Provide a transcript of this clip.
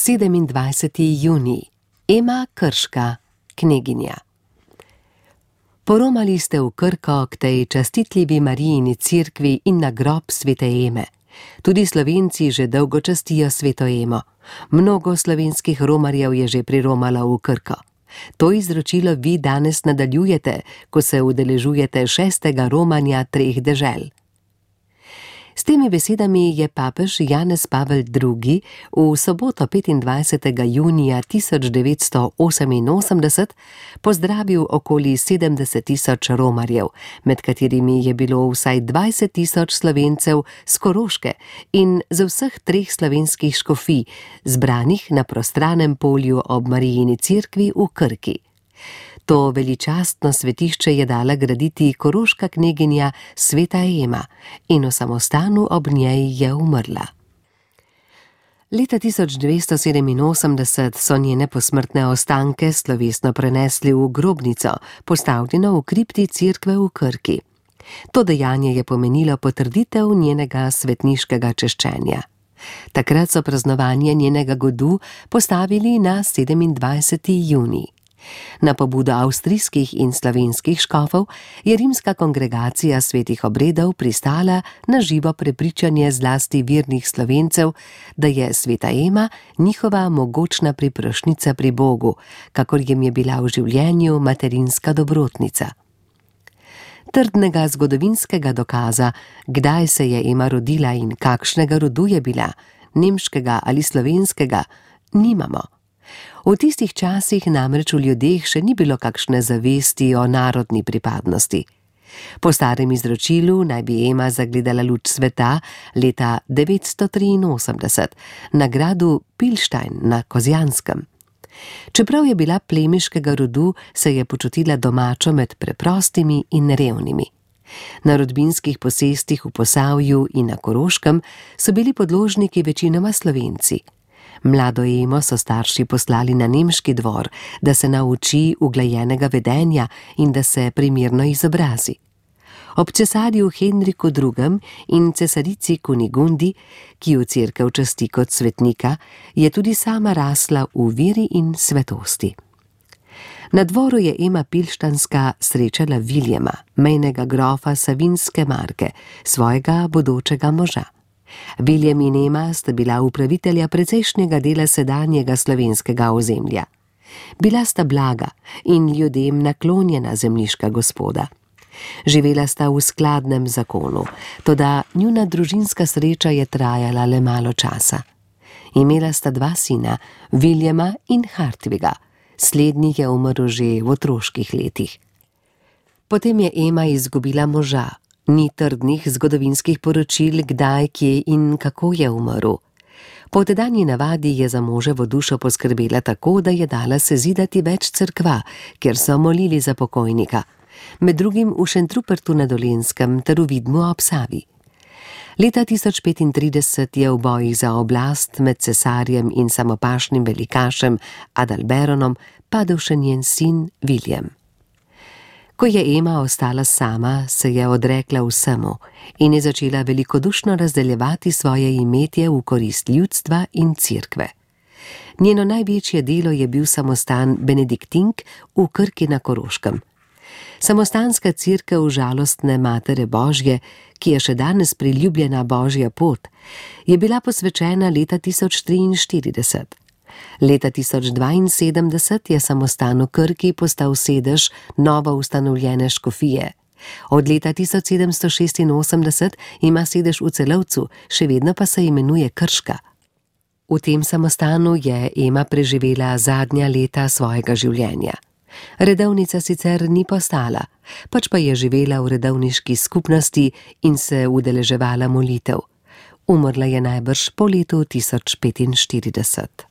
27. junij. Ema Krška, kneginja. Poromali ste v Krko k tej častitljivi Marijini cerkvi in na grob svete Eme. Tudi Slovenci že dolgo častijo sveto Emo. Mnogo slovenskih romarjev je že priromalo v Krko. To izročilo vi danes nadaljujete, ko se udeležujete 6. romanja 3 dežel. S temi besedami je papež Janez Pavel II. V soboto 25. junija 1988 pozdravil okoli 70.000 romarjev, med katerimi je bilo vsaj 20.000 Slovencev z Koroške in z vseh 3 slovenskih škofij, zbranih na prostranem polju ob Marijini cerkvi v Krki. To veličastno svetišče je dala graditi koroška kneginja sveta Ema in v samostanu ob njej je umrla. Leta 1987 so njene posmrtne ostanke slovesno prenesli v grobnico, postavljeno v kripti cerkve v Krki. To dejanje je pomenilo potrditev njenega svetniškega češčenja. Takrat so praznovanje njenega godu postavili na 27. junij. Na pobudo avstrijskih in slovenskih škofov je rimska kongregacija svetih obredov pristala na živo prepričanje zlasti vernih Slovencev, da je sveta Ema njihova mogočna priprošnjica pri Bogu, kakor jim je bila v življenju materinska dobrotnica. Trdnega zgodovinskega dokaza, kdaj se je Ema rodila in kakšnega rodu je bila, nemškega ali slovenskega, nimamo. V tistih časih namreč v ljudeh še ni bilo kakšne zavesti o narodni pripadnosti. Po starem izročilu naj bi Ema zagledala luč sveta leta 983 na gradu Pilštajn na Kozjanskem. Čeprav je bila plemiškega rodu, se je počutila domačo med preprostimi in revnimi. Na rodbinskih posestih v Posavju in na Koroškem so bili podložniki večinoma Slovenci. Mlado Emo so starši poslali na nemški dvor, da se nauči uglajenega vedenja in da se primerno izobrazi. Ob cesarju Henriku II. In cesarici Kunigundi, ki jo cerkev časti kot svetnika, je tudi sama rasla v veri in svetosti. Na dvoru je Ema Pilštanska srečala Viljema, mejnega grofa Savinjske marke, svojega bodočega moža. Viljem in Ema sta bila upravitelja precejšnjega dela sedanjega slovenskega ozemlja. Bila sta blaga in ljudem naklonjena zemljiška gospoda. Živela sta v skladnem zakonu, toda njuna družinska sreča je trajala le malo časa. Imela sta 2 sina, Viljema in Hartviga. Slednji je umrl že v otroških letih. Potem je Ema izgubila moža. Ni trdnih zgodovinskih poročil, kdaj, kje in kako je umrl. Po tedanji navadi je za moževo dušo poskrbela tako, da je dala sezidati več cerkva, kjer so molili za pokojnika, med drugim v Šentrupertu na Dolenjskem ter v Vidmu ob Savi. Leta 1035 je v bojih za oblast med cesarjem in samopašnim velikašem Adalberonom padel še njen sin Viljem. Ko je Ema ostala sama, se je odrekla vsemu in je začela velikodušno razdeljevati svoje imetje v korist ljudstva in cerkve. Njeno največje delo je bil samostan Benediktink v Krki na Koroškem. Samostanska cerkev žalostne Matere Božje, ki je še danes priljubljena Božja pot, je bila posvečena leta 1043. Leta 1072 je samostan v Krki postal sedež novo ustanovljene škofije. Od leta 1786 ima sedež v Celovcu, še vedno pa se imenuje Krška. V tem samostanu je Ema preživela zadnja leta svojega življenja. Redovnica sicer ni postala, pač pa je živela v redovniški skupnosti in se udeleževala molitev. Umrla je najbrž po letu 1045.